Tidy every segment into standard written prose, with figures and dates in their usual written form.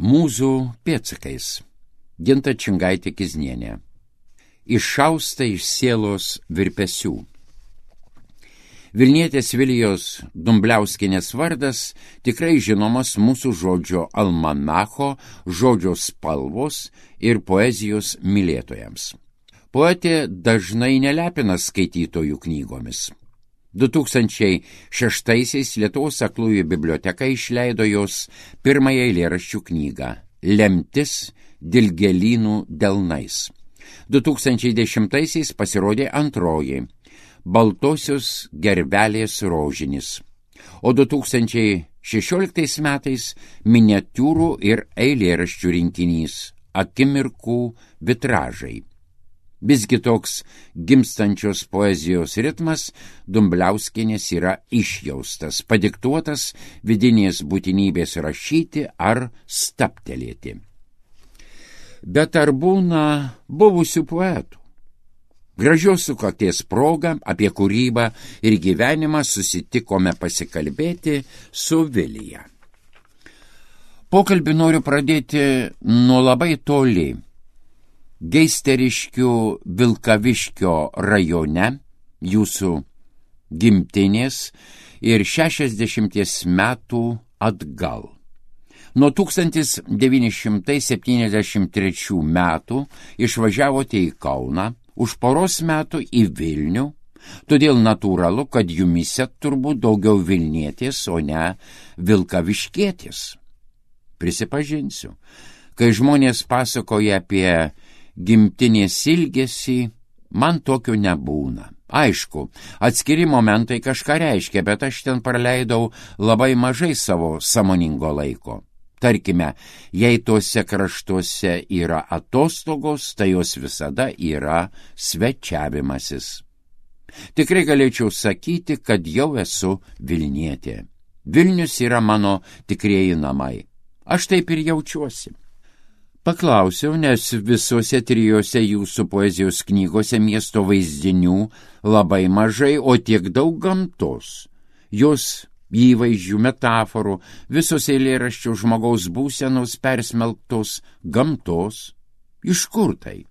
Mūzų pėdsakais. Ginta Čingaitė-Kiznienė. Iššausta iš sielos virpesių. Vilnietės Vilijos Dumbliauskienės vardas tikrai žinomas mūsų žodžio almanacho, žodžio spalvos ir poezijos mylėtojams. Poetė dažnai nelepina skaitytojų knygomis. 2006-aisiais Lietuvos aklųjų biblioteka išleido jos pirmąją eilėraščių knygą Lemtis dilgėlynų delnais. 2010-aisiais pasirodė antroji Baltosios gervelės rožinis, o 2016 metais miniatiūrų ir eilėraščių rinkinys Akimirkų vitražai. Visgi toks gimstančios poezijos ritmas Dumbliauskienės yra išjaustas, padiktuotas vidinės būtinybės rašyti ar stabtelėti. Bet ar būna buvusių poetų? Gražios sukakties proga apie kūrybą ir gyvenimą susitikome pasikalbėti su Vilija. Pokalbį noriu pradėti nuo labai toli. Geisteriškių Vilkaviškio rajone, jūsų gimtinės, ir 60 metų atgal. Nuo 1973 metų išvažiavote į Kauną, už poros metų į Vilnių, todėl natūralu, kad jumise turbūt daugiau Vilnietės, o ne Vilkaviškietės. Prisipažinsiu, kai žmonės pasakoja apie gimtinės ilgesį, man tokio nebūna. Aišku, atskiri momentai kažką reiškia, bet aš ten praleidau labai mažai savo sąmoningo laiko. Tarkime, jei tuose kraštuose yra atostogos, tai jos visada yra svečiavimasis. Tikrai galėčiau sakyti, kad jau esu Vilnietė. Vilnius yra mano tikrieji namai. Aš taip ir jaučiuosi. Paklausiau, nes visose trijose jūsų poezijos knygose miesto vaizdinių labai mažai, o tiek daug gamtos. Jos įvaizdžių, metaforų, visos eilėraščių žmogaus būsenos persmelktos gamtos. Iš kur tai?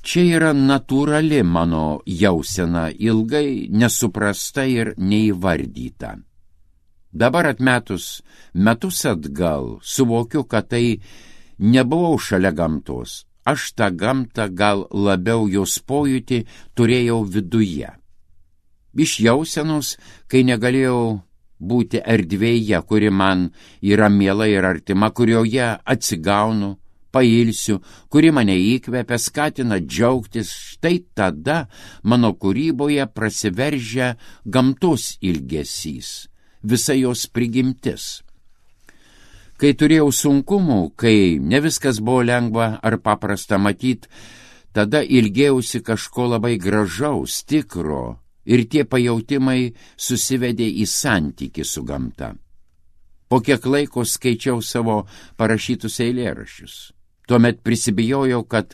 Čia yra natūrali mano jausena, ilgai nesuprasta ir neįvardyta. Dabar atmetus metus atgal suvokiu, kad tai nebuvau šalia gamtos. Aš tą gamtą gal labiau jos pojūtį turėjau viduje. Iš jausenos, kai negalėjau būti erdvėje, kuri man yra miela ir artima, kurioje atsigaunu, pailsiu, kuri mane įkvepia, skatina džiaugtis, štai tada mano kūryboje prasiveržia gamtos ilgesys, visa jos prigimtis. Kai turėjau sunkumų, kai ne viskas buvo lengva ar paprasta matyt, tada ilgėjausi kažko labai gražaus, tikro, ir tie pajautimai susivedė į santykį su gamta. Po kiek laiko skaičiau savo parašytus eilėraščius. Tuomet prisibijojau, kad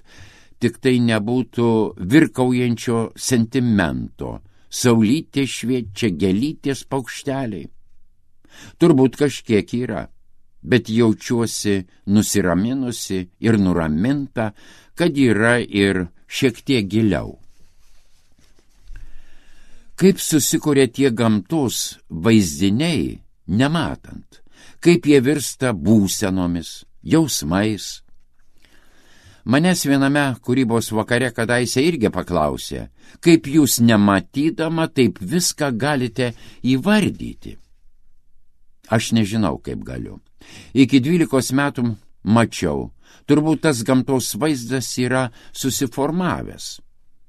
tik tai nebūtų virkaujančio sentimento, saulytė šviečia, gėlytės paukšteliai. Turbūt kažkiek yra, bet jaučiuosi nusiraminusi ir nuraminta, kad yra ir šiek tiek giliau. Kaip susikuria tie gamtos vaizdiniai, nematant, kaip jie virsta būsenomis, jausmais. Manęs viename kūrybos vakare kadaise irgi paklausė, kaip jūs nematydama taip viską galite įvardyti. Aš nežinau, kaip galiu. Iki 12 metų mačiau, turbūt tas gamtos vaizdas yra susiformavęs,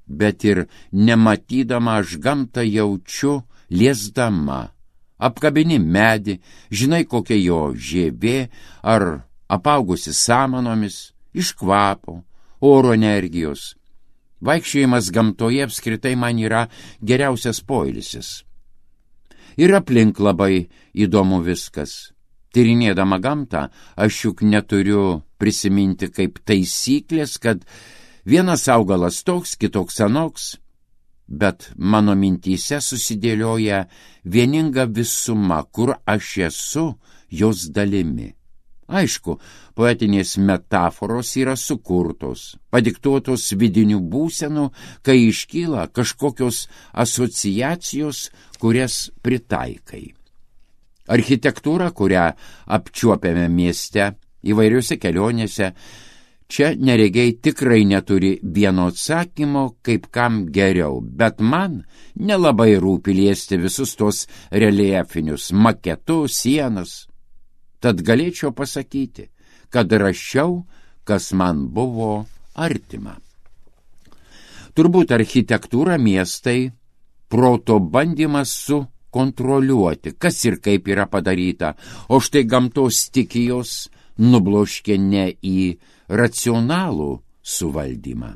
bet ir nematydama aš gamtą jaučiu liesdama. Apkabini medį, žinai kokia jo žievė ar apaugusi samanomis, iš kvapo, oro energijos. Vaikščiojimas gamtoje apskritai man yra geriausias poilsis. Ir aplink labai įdomu viskas. Tyrinėdama gamtą, aš juk neturiu prisiminti kaip taisyklės, kad vienas augalas toks, kitoks anoks, bet mano mintyse susidėlioja vieninga visuma, kur aš esu jos dalimi. Aišku, poetinės metaforos yra sukurtos, padiktuotos vidinių būsenų, kai iškyla kažkokios asociacijos, kurias pritaikai. Architektūra, kurią apčiuopiame mieste, įvairiuose kelionėse, čia neregiai tikrai neturi vieno atsakymo, kaip kam geriau, bet man nelabai rūpi liesti visus tos reljefinius maketus, sienas. Tad galėčiau pasakyti, kad rašiau, kas man buvo artima. Turbūt architektūra miestai proto bandymas sukontroliuoti, kas ir kaip yra padaryta, o štai gamtos stichijos nubloškė ne į racionalų suvaldymą.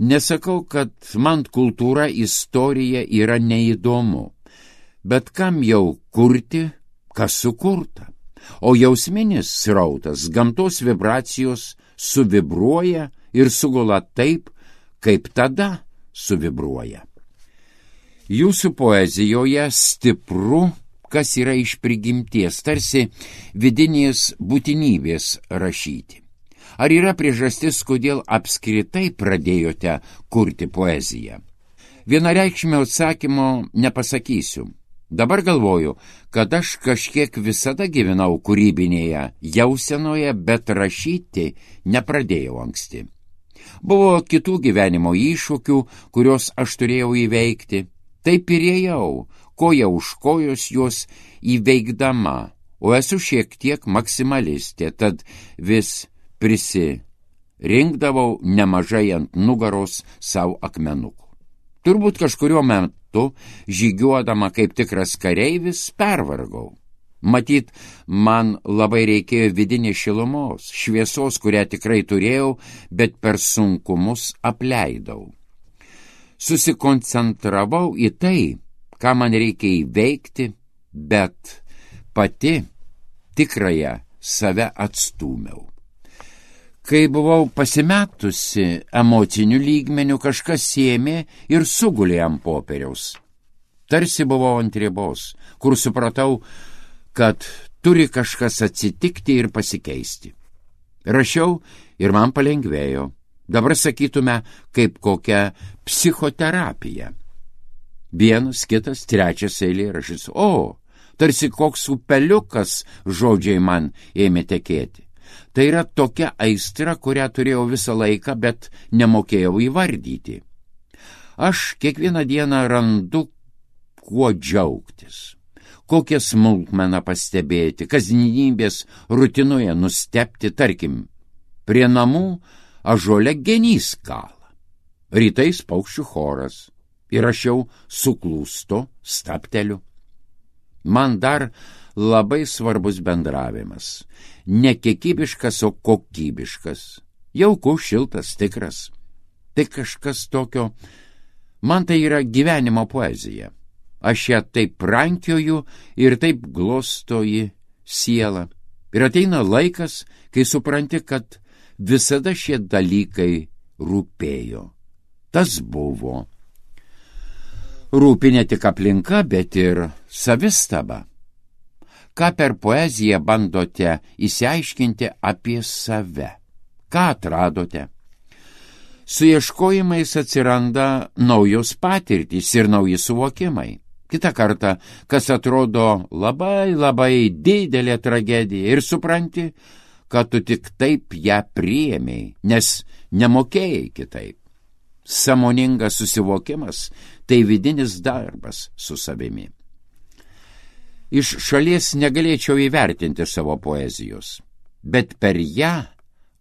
Nesakau, kad man kultūra, istorija yra neįdomu, bet kam jau kurti, kas sukurta? O jausminis srautas, gamtos vibracijos suvibruoja ir sugula taip, kaip tada suvibruoja. Jūsų poezijoje stipru, kas yra iš prigimties, tarsi vidinės būtinybės rašyti. Ar yra priežastis, kodėl apskritai pradėjote kurti poeziją? Vienareikšmio atsakymo nepasakysiu. Dabar galvoju, kad aš kažkiek visada gyvenau kūrybinėje jausenoje, bet rašyti nepradėjau anksti. Buvo kitų gyvenimo iššūkių, kuriuos aš turėjau įveikti. Taip ir ėjau, koja už kojos juos įveikdama, o esu šiek tiek maksimalistė, tad vis prisirinkdavau nemažai ant nugaros savo akmenukų. Turbūt kažkuriuo metu, žygiuodama kaip tikras kareivis, pervargau. Matyt, man labai reikėjo vidinės šilumos, šviesos, kurią tikrai turėjau, bet per sunkumus apleidau. Susikoncentravau į tai, ką man reikia įveikti, bet pati tikrąją save atstūmiau. Kai buvau pasimetusi emocinių lygmenių, kažkas ėmė ir sugulė ant popieriaus. Tarsi buvau ant ribos, kur supratau, kad turi kažkas atsitikti ir pasikeisti. Rašiau ir man palengvėjo. Dabar sakytume, kaip kokia psichoterapija. Vienas, kitas, trečias eilėraštis. O, tarsi koks upeliukas žodžiai man ėmė tekėti. Tai yra tokia aistra, kurią turėjau visą laiką, bet nemokėjau įvardyti. Aš kiekvieną dieną randu, kuo džiaugtis, kokią smulkmeną pastebėti, kasdienybės rutinoje nustebti, tarkim, prie namų ąžuole genys kala, rytais paukščių choras ir aš jau suklūstu, stabteliu. Man dar labai svarbus bendravimas, ne kiekybiškas, o kokybiškas, jaukus, šiltas, tikras. Tai kažkas tokio, man tai yra gyvenimo poezija. Aš ją taip rankioju ir taip glostoji sielą. Ir ateina laikas, kai supranti, kad visada šie dalykai rūpėjo. Tas buvo. Rūpi ne tik aplinka, bet ir savistaba. Ką per poeziją bandote įsiaiškinti apie save? Ką atradote? Su ieškojimais atsiranda naujos patirtys ir nauji suvokimai. Kitą kartą, kas atrodo labai didelė tragedija ir supranti, kad tu tik taip ją priėmei, nes nemokėjai kitaip. Sąmoningas susivokimas – tai vidinis darbas su savimi. Iš šalies negalėčiau įvertinti savo poezijos, bet per ją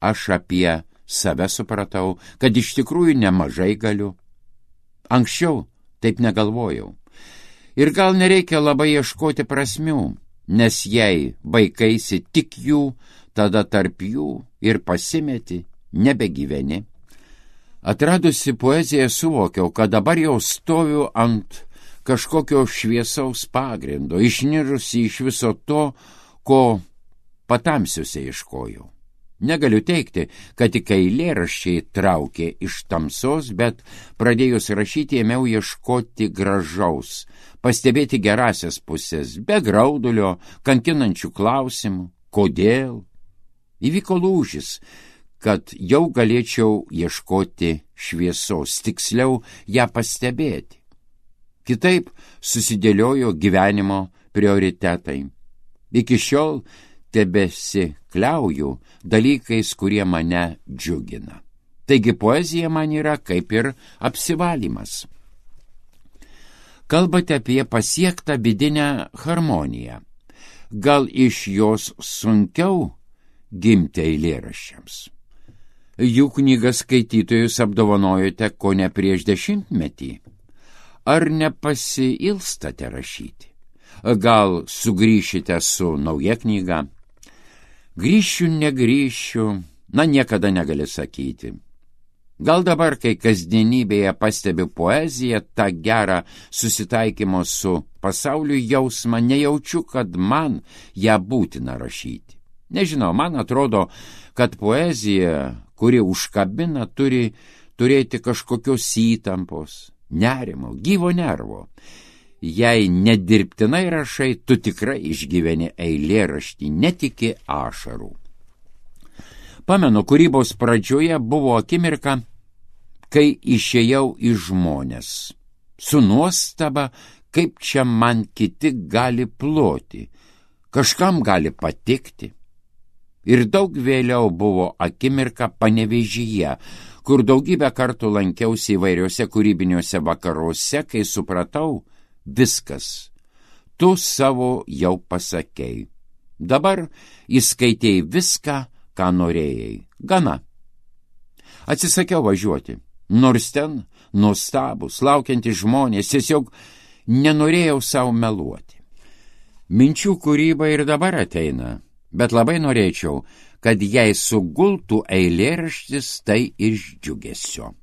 aš apie save supratau, kad iš tikrųjų nemažai galiu. Anksčiau taip negalvojau. Ir gal nereikia labai ieškoti prasmių, nes jei baikaisi tik jų, tada tarp jų ir pasimeti, nebegyveni. Atradusi poeziją suvokiau, kad dabar jau stoviu ant kažkokio šviesaus pagrindo, išnirusi iš viso to, ko patamsiuose ieškojau. Negaliu teigti, kad tik eilėraščiai traukė iš tamsos, bet pradėjus rašyti ėmiau ieškoti gražaus, pastebėti gerasias pusės, be graudulio, kankinančių klausimų, kodėl, Įvyko lūžis, kad jau galėčiau ieškoti šviesos, tiksliau ją pastebėti. Kitaip susidėliojo gyvenimo prioritetai. Iki šiol tebesikliauju dalykais, kurie mane džiugina. Taigi poezija man yra kaip ir apsivalymas. Kalbate apie pasiektą vidinę harmoniją. Gal iš jos sunkiau gimti eilėraščiams? Jų knygas skaitytojus apdovanojote kone prieš 10 metį. Ar nepasiilstate rašyti? Gal sugrįšite su nauja knyga? Grįšiu, negrįšiu, niekada negali sakyti. Gal dabar, kai kasdienybėje pastebiu poeziją, tą gerą susitaikymo su pasauliu jausmą, nejaučiu, kad man ją būtina rašyti. Nežinau, man atrodo, kad poezija, kuri užkabina, turi turėti kažkokios įtampos, nerimo, gyvo nervo. Jei nedirbtinai rašai, tu tikrai išgyveni eilėraštį, netiki ašarų. Pamenu, kūrybos pradžioje buvo akimirka, kai išėjau į žmones. Su nuostaba, kaip čia man kiti gali ploti, kažkam gali patikti. Ir daug vėliau buvo akimirka Panevėžyje, kur daugybę kartų lankiausi įvairiuose kūrybiniuose vakaruose, kai supratau, viskas, tu savo jau pasakei. Dabar įskaitei viską, ką norėjai. Gana. Atsisakiau važiuoti, nors ten nuostabus, laukiantys žmonės, tiesiog nenorėjau savo meluoti. Minčių kūryba ir dabar ateina, bet labai norėčiau, kad jei sugultų eilėraštis, tai iš džiugesio.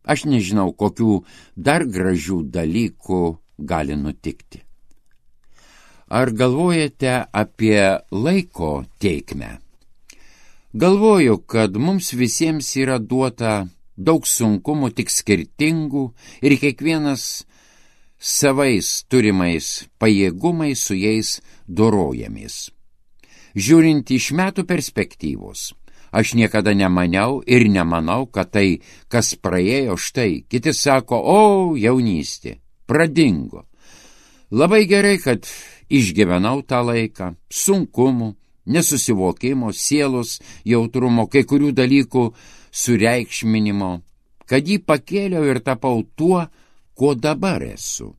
Aš nežinau, kokių dar gražių dalykų gali nutikti. Ar galvojate apie laiko tėkmę? Galvoju, kad mums visiems yra duota daug sunkumų, tik skirtingų, ir kiekvienas savais turimais pajėgumais su jais dorojamės. Žiūrint iš metų perspektyvos, aš niekada nemaniau ir nemanau, kad tai, kas praėjo, štai, kiti sako, o, jaunystė, pradingo. Labai gerai, kad išgyvenau tą laiką, sunkumų, nesusivokimo, sielos jautrumo, kai kurių dalykų sureikšminimo, kad jį pakėliau ir tapau tuo, kuo dabar esu.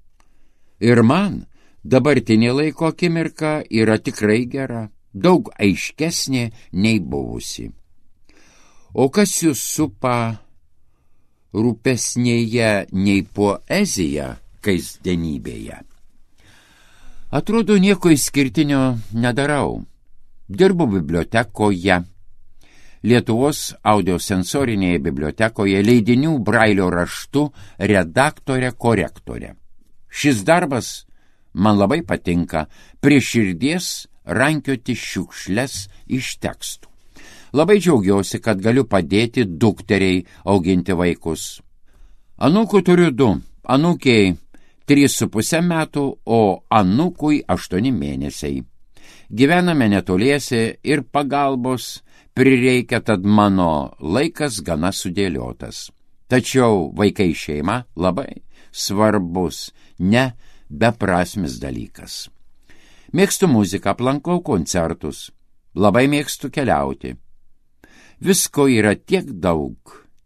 Ir man dabartinė laiko akimirka yra tikrai gera, daug aiškesnė nei buvusi. O kas jūs supa rūpesnėje nei poezija kasdienybėje? Atrodo, nieko išskirtinio nedarau. Dirbu bibliotekoje, Lietuvos audiosensorinėje bibliotekoje, leidinių brailio raštu redaktorė korektorė. Šis darbas man labai patinka, prie širdies rankioti šiukšles iš tekstų. Labai džiaugiausi, kad galiu padėti dukteriai auginti vaikus. Anūkų turiu 2, anūkiai 3,5 metų, o anūkui 8 mėnesiai. Gyvename netoliese ir pagalbos prireikia, tad mano laikas gana sudėliotas. Tačiau vaikai šeima labai svarbus, ne beprasmis dalykas. Mėgstu muziką, aplankau koncertus, labai mėgstu keliauti. Visko yra tiek daug,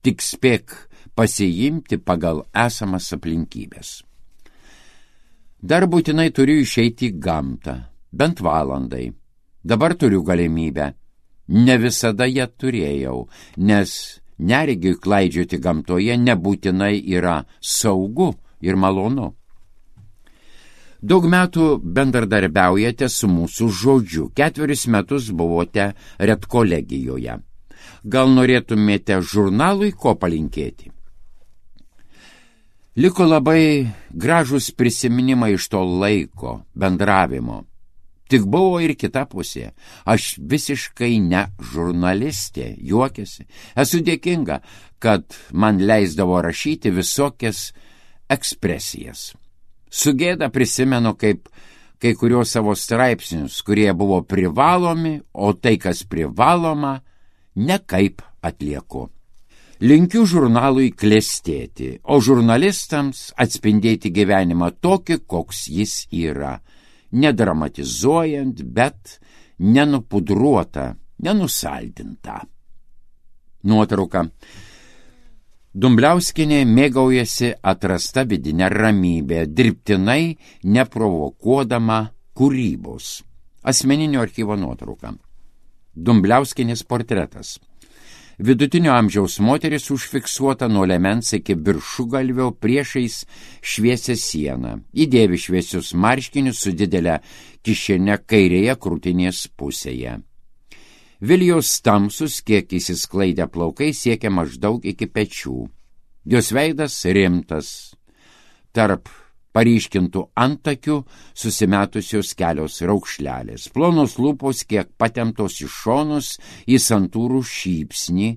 tik spėk pasiimti pagal esamas aplinkybės. Dar būtinai turiu išeiti į gamtą, bent valandai. Dabar turiu galimybę. Ne visada ją turėjau, nes neregiui klaidžioti gamtoje nebūtinai yra saugu ir malonu. Daug metų bendradarbiaujate su mūsų žodžiu. 4 metus buvote redkolegijoje. Gal norėtumėte žurnalui ko palinkėti? Liko labai gražus prisiminimai iš to laiko, bendravimo. Tik buvo ir kita pusė. Aš visiškai ne žurnalistė, juokiasi. Esu dėkinga, kad man leisdavo rašyti visokias ekspresijas. Su gėda prisimenu, kaip kai kurios savo straipsnius, kurie buvo privalomi, o tai, kas privaloma, nekaip atlieku. Linkiu žurnalui klestėti, o žurnalistams atspindėti gyvenimą tokį, koks jis yra, nedramatizuojant, bet nenupudruota, nenusaldinta. Nuotrauka. Dumbliauskienė mėgaujasi atrasta vidinę ramybę, dirbtinai neprovokuodama kūrybos. Asmeninio archyvo nuotrauka. Dumbliauskienės portretas. Vidutinio amžiaus moteris užfiksuota nuo liemens iki viršugalvio priešais šviesią sieną. Įdėvi šviesius marškinius su didelė kišene kairėje krūtinės pusėje. Vilijos tamsus, kiek įsisklaidę plaukai, siekia maždaug iki pečių. Jos veidas rimtas. Tarp paryškintų antakių susimetusios kelios raukšlelės. Plonos lūpos kiek patemptos į šonus į santūrų šypsnį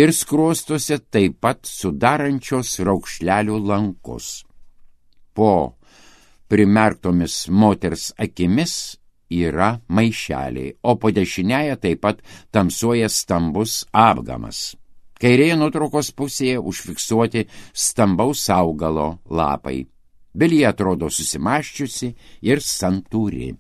ir skruostuose taip pat sudarančios raukšlelių lankus. Po primerktomis moters akimis yra maišeliai, o po dešinėje taip pat tamsuoja stambus apgamas. Kairėje nuotraukos pusėje užfiksuoti stambaus augalo lapai. Vilija atrodo susimąsčiusi ir santūri.